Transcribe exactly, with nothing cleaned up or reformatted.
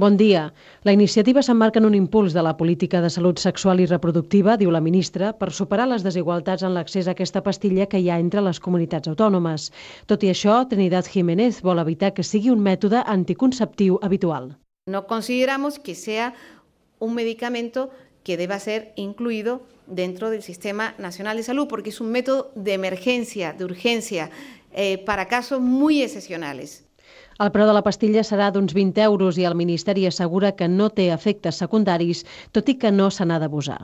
Bon dia. La iniciativa s'emmarca en un impuls de la política de salut sexual i reproductiva, diu la ministra, per superar les desigualtats en l'accés a aquesta pastilla que hi ha entre les comunitats autònomes. Tot i això, Trinidad Jiménez vol evitar que sigui un mètode anticonceptiu habitual. No consideramos que sea un medicamento que deba ser incluido dentro del Sistema Nacional de Salud, porque es un método de emergencia, de urgencia, eh, para casos muy excepcionales. El preu de la pastilla serà d'uns vint euros i el Ministeri assegura que no té efectes secundaris, tot i que no se n'ha d'abusar.